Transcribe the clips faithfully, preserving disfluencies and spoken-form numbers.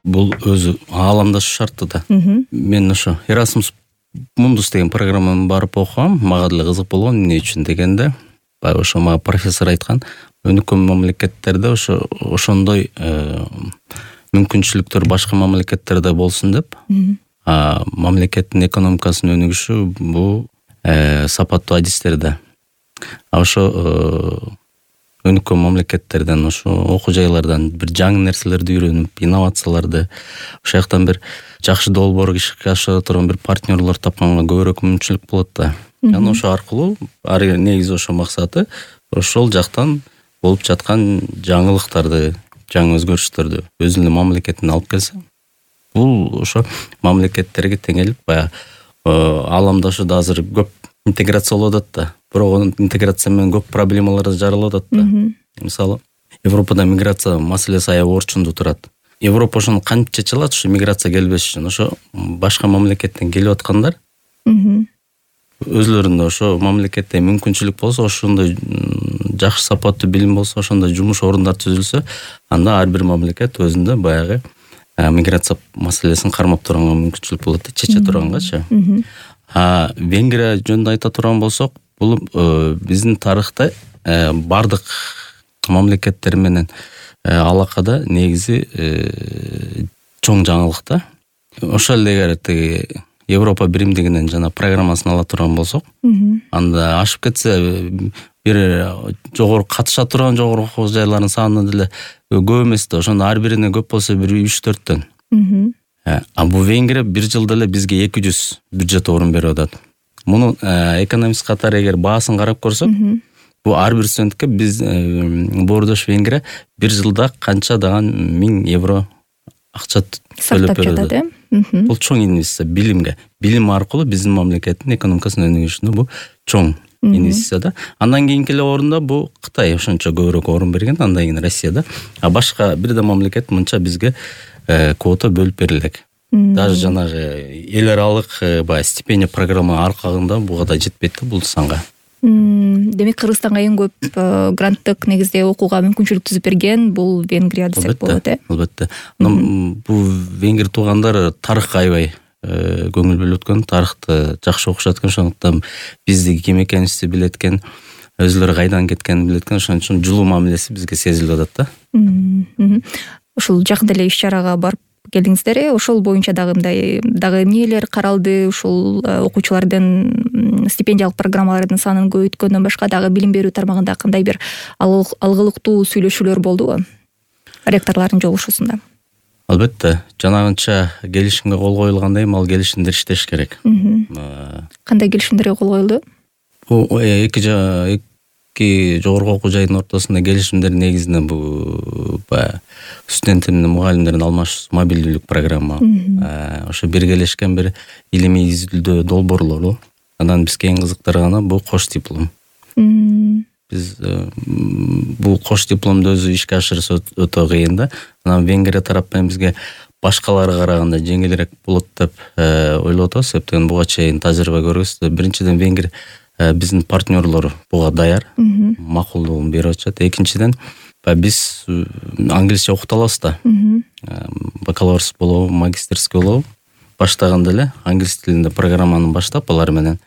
бул өзү ааламдашуу шарттуу да. Мен ошо Erasmus Mundus деген программаны барып окугам, мага деле кызык болгон. Эмне үчүн дегенде, баягы ошо мага профессор айткан, өнүккөн мамлекеттерде ошо ошондой мүмкүнчүлүктөр башка мамлекеттерде болсун деп. А мамлекеттин экономикасынын өнүгүшү бул сапаттуу адистерде. А ошо өнүккөн мамлекеттерден, ошо окуу жайлардан бир жаңы нерселерди үйрөнүп, инновацияларды, ошол жактан бир жакшы долбоор ишке ашыра турган бир партнерлор тапканга көбүрөөк мүмкүнчүлүк болот да. Жана ошо аркылуу ары негизи ошо максаты ошол жактан болуп жаткан жаңылыктарды, жаңы өзгөрүштөрдү өзүнүн мамлекетине алып келсе, бул ошо мамлекеттерге теңелип баягы ааламдашууда азыр көп интеграция болуп атат да. Бирок интеграция менен көп проблемалар жаралып атат да. Мисалы, Европада миграция маселеси аябай орчундуу турат. Европа ошону кантип чече алат, ошо миграция келбеш үчүн? Ошо башка мамлекеттен келип аткандар өзлөрүндө ошо мамлекетте мүмкүнчүлүк болсо, ошондой жакшы сапаттуу билим болсо, ошондой жумуш орундар түзүлсө, анда ар бир мамлекет өзүндө баягы миграция маселесин кармап турганга мүмкүнчүлүк болот да, чече тургангачы. А Венгрия жөнүндө айта турган болсок, бул биздин тарыхта бардык мамлекеттер менен алакада негизи чоң жаңылык да. Ошол эле эгер тиги Европа биримдигинен жана программасын ала турган болсок, анда ашып кетсе бир жогору катыша турган жогору окуу жайларынын саны деле көп эмес да. Ошондо ар бирине көп болсо бир үч төрттөн. А бул Венгрия бир жылда эле бизге эки жүз бюджет орун берип атат. Муну экономист катары эгер баасын карап көрсөк, бул ар бир студентке биз Боордош Венгрия бир жылда канча даган миң евро акча төлөп берет. Бул чоң инвестиция билимге. Билим аркылуу биздин мамлекеттин экономикасынын өнүгүшүнө бул чоң инвестиция да. Андан кийинки эле орунда бул Кытай ошончо көбүрөөк орун берген, андан кийин Россия да. А башка бир да мамлекет мынча бизге квота бөлүп берилек. Даже жанагы эл аралык баягы стипендия программа аркагында буга да жетпейт да бул санга. Демек Кыргызстанга эң көп гранттык негизде окууга мүмкүнчүлүк түзүп берген бул Венгрия десек болот, э? Албетте. Бул венгер туугандар тарыхка аябай көңүл бөлүп өткөн, тарыхты жакшы окушат экен, ошондуктан бизди ким экенибизди билет экен, өзүлөрү кайдан кеткенин билет экен, ошон үчүн жылуу мамилеси бизге сезилип атат да. Ушул жакында эле иш-чарага барып келдиңиздер, ошол боюнча дагы мындай дагы эмнелер каралды? Ушул окуучулардын стипендиялык программалардын санын көбөйткөндөн башка дагы билим берүү тармагында кандай бир алгылыктуу сүйлөшүүлөр болдубу ректорлордун жолугушуусунда? Албетте, жанагынча келишимге кол коюлгандай эми ал келишимдер иштеш керек. Кандай келишимдерге кол коюлду? Бул эки эки жогорку окуу жайдын ортосунда келишимдер негизинен бул баягы студенттер менен мугалимдердин алмашуусу, мобилдүүлүк программа. Ошо биргелешкен бир илимий изилдөө долбоорлору. Анан бизге эң кызыктырганы бул кош диплом. Биз бул кош дипломду өзү ишке ашырса өтө кыйын да. Анан Венгрия тарап менен бизге башкаларга караганда жеңилирээк болот деп ойлоп атабыз. Себептен буга чейин тажрыйба көрүбүз. Биринчиден Венгрия биздин партнерлор буга даяр, макулдугун берип атышат. Экинчиден биз англисче окута алабыз да. Бакалаврс болобу, магистерский болобу. Баштаганда эле англис тилинде программаны баштап алар менен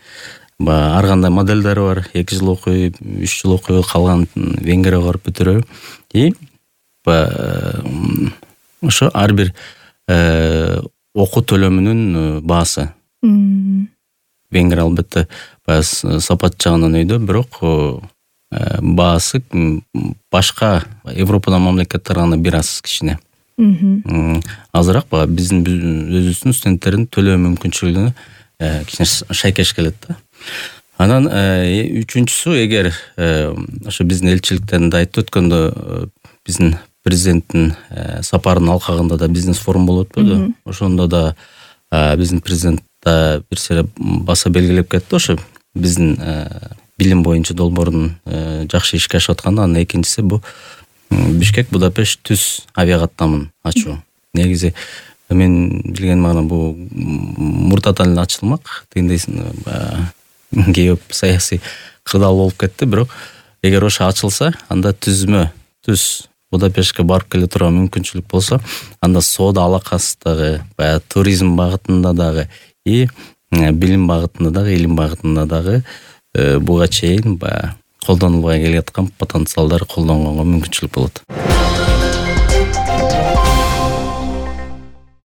ар кандай модельдери бар. эки жыл окуй, үч жыл окуй, калган Венгрияга барып бүтүрөбү. И ошо ар бир окуу төлөмүнүн баасы. Венгрия албетте сапат жагынан өйдө, бирок баасы башка Европадан мамлекеттерге караганда бир аз кичине. Азыраак баягы биздин өзүбүздүн студенттердин төлөө мүмкүнчүлүгүнө кичине шайкеш келет да. Анан үчүнчүсү, эгер ошо биздин элчиликтен да айтып өткөндө биздин президенттин сапарынын алкагында да бизнес форум болуп өтпөдү. Ошондо да биздин президент да бир сере баса белгилеп кетти, ошо биздин билим боюнча долбоордун жакшы ишке ашып атканы. Анан экинчиси бул Бишкек Будапешт түз авиакаттамын ачуу. Негизи мен билгеним гана бул муртатан эле ачылмак. Тигиндейсиң кээ саясий кырдаал болуп кетти, бирок эгер ошо ачылса, анда түзмө түз Будапештке барып келе турган мүмкүнчүлүк болсо, анда соода алакасыздагы, баягы туризм багытында дагы и билим багытында дагы, илим багытында дагы буга чейин баягы колдонулбай келаткан потенциалдар колдонгонго мүмкүнчүлүк болот.